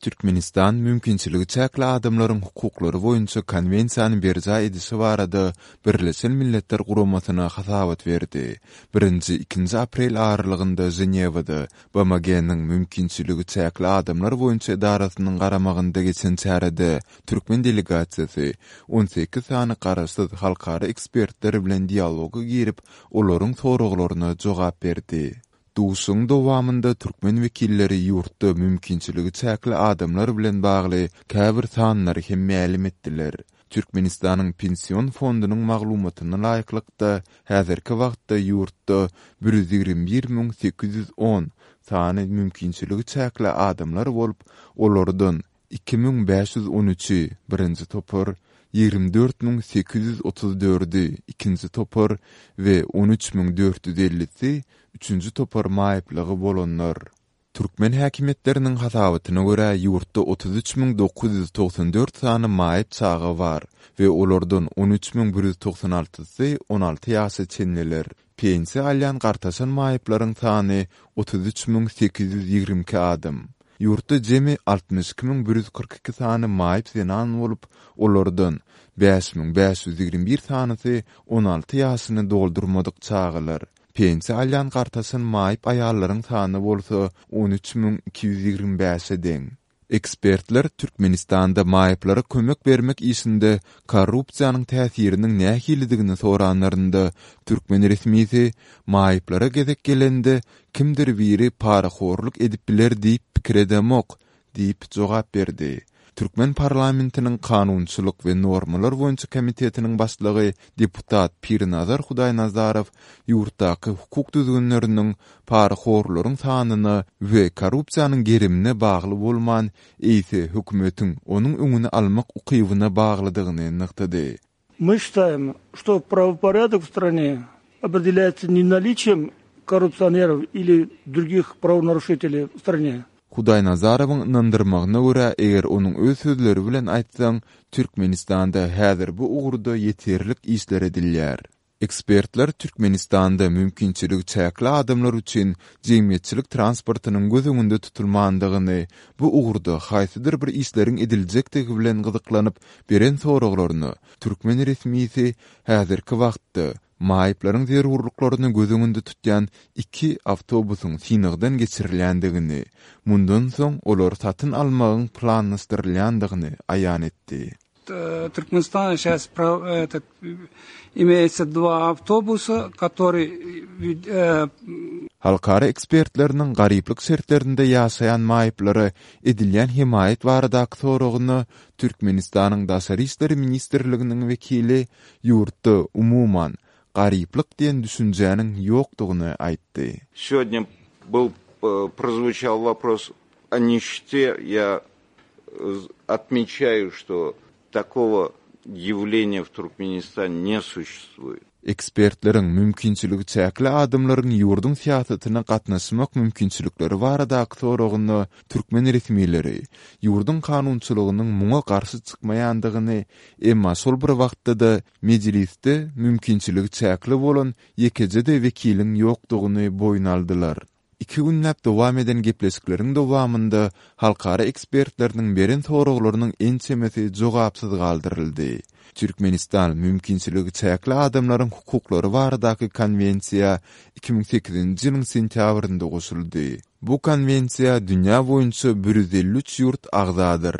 Türkmenistan mümkinçiligi çäkli adamlaryň hukuklary boýunça Konwensiýany berjaý edişi barada Birleşen Milletler Guramasyna hasabat berdi. Birinji, ikinji aprel aralygynda Ženewada BMG-niň Mümkinçiligi çäkli adamlar boýunça edarasynyň garamagynda geçen çärede türkmen delegasiýasy 18 sany garaşsyz halkara ekspertler bilen dialoga girip, olaryň soraglaryna jogap berdi. Duşuşygyň dowamynda türkmen wekilleri ýurtda mümkinçiligi çäkli adamlar bilen bagly käbir sanlary hem mälim etdiler. Türkmenistanyň Pension fondunyň maglumatyna laýyklykda, häzirki wagtda ýurtda 121 810 sany mümkinçiligi çäkli adamlar bolup, olardan 2513-i, birinji topar, 24 834-i, ikinji topar we 13 450-si, üçünji topar maýyplygy bolanlar. Türkmen häkimiýetleriniň hasabatyna görä, ýurtda 33 994 sany maýyp çaga bar we olardan 13 196-sy 16 ýaşa çenliler. Pensiýa alýan gartaşan maýyplaryň sany 33 822 adam. Ýurtda jemi 62 142 sany maýyp zenan bolup, olardan 5521 sanysy 16 ýaşyny doldurmadyk çagalar. Pensiýa alýan gartaşan maýyp aýallaryň sany bolsa 13 225-e deň. Ekspertler Türkmenistanda maýyplara kömek bermek işinde korrupsiýanyň täsiriniň nähilidigini soranlarynda, türkmen resmisi maýyplara gezek gelende kimdir biri parahorluk edip biler diýip pikir edemok diýip jogap berdi. Türkmen parlamentiniň Kanunçylyk we normalar boýunça komitetiniň başlygy deputat Pirnazar Hudaýnazarow ýurtdaky hukuk düzgünleriniň parahorlaryň sanyna we korrupsiýanyň gerimine bagly bolman, eýse hökümetiň onuň öňüni almak ukybyna baglydygyny nygtady. Мы считаем, что правопорядок в стране определяется не наличием коррупционеров или других правонарушителей в стране. Hudaýnazarowyň ynandyrmagyna görä, eger onuň öz sözleri bilen aýtsaň, Türkmenistanda häzir bu ugurda ýeterlik işler edilýär. Ekspertler Türkmenistanda mümkinçiligi çäkli adamlar üçin jemgyýetçilik transportynyň göz öňünde tutulmandygyny, bu ugurda haýsydyr bir işleriň ediljekdigi bilen gyzyklanyp beren soraglaryna türkmen resmisi häzirki wagtda maýyplaryň zerurlyklaryny göz öňünde tutýan iki awtobusyň synagdan geçirilýändigini, mundan soň olary satyn almagyň planlaşdyrylýandygyny aýan etdi. Туркменистана сейчас этот, имеется два автобуса, которые Halkara ekspertleriniň garyplyk şertlerinde ýaşaýan maýyplara edilýän hemaýat baradaky soragyna Türkmenistanyň Daşary işler ministrliginiň wekili ýurtda, umuman, garyplyk diýen düşünjäniň ýokdugyny aýtdy. Сегодня был прозвучал вопрос о нищете. Я отмечаю, что такого явления в Туркменистане не существует. Ekspertleriň mümkinçiligi çäkli adamlaryň ýurduň syýasatyna gatnaşmak mümkinçilikleri baradaky soragyna türkmen resmileri ýurduň kanunçylygynyň muňa garşy çykmaýandygyny, emma şol bir wagtda-da mejlisde mümkinçiligi çäkli bolan ýekeje-de wekiliň ýokdugyny boýun aldylar. Iki günläp dowam eden gepleşikleriň dowamynda halkara ekspertleriniň beren soraglarynyň ençemesi jogapsyz galdyryldy. Türkmenistan Mümkinçiligi çäkli adamlaryň hukuklary baradaky Konwensiýa 2008-nji ýylyň sentýabrynda goşuldy. Bu Konwensiýa dünýä boýunça 153 ýurt agzadyr.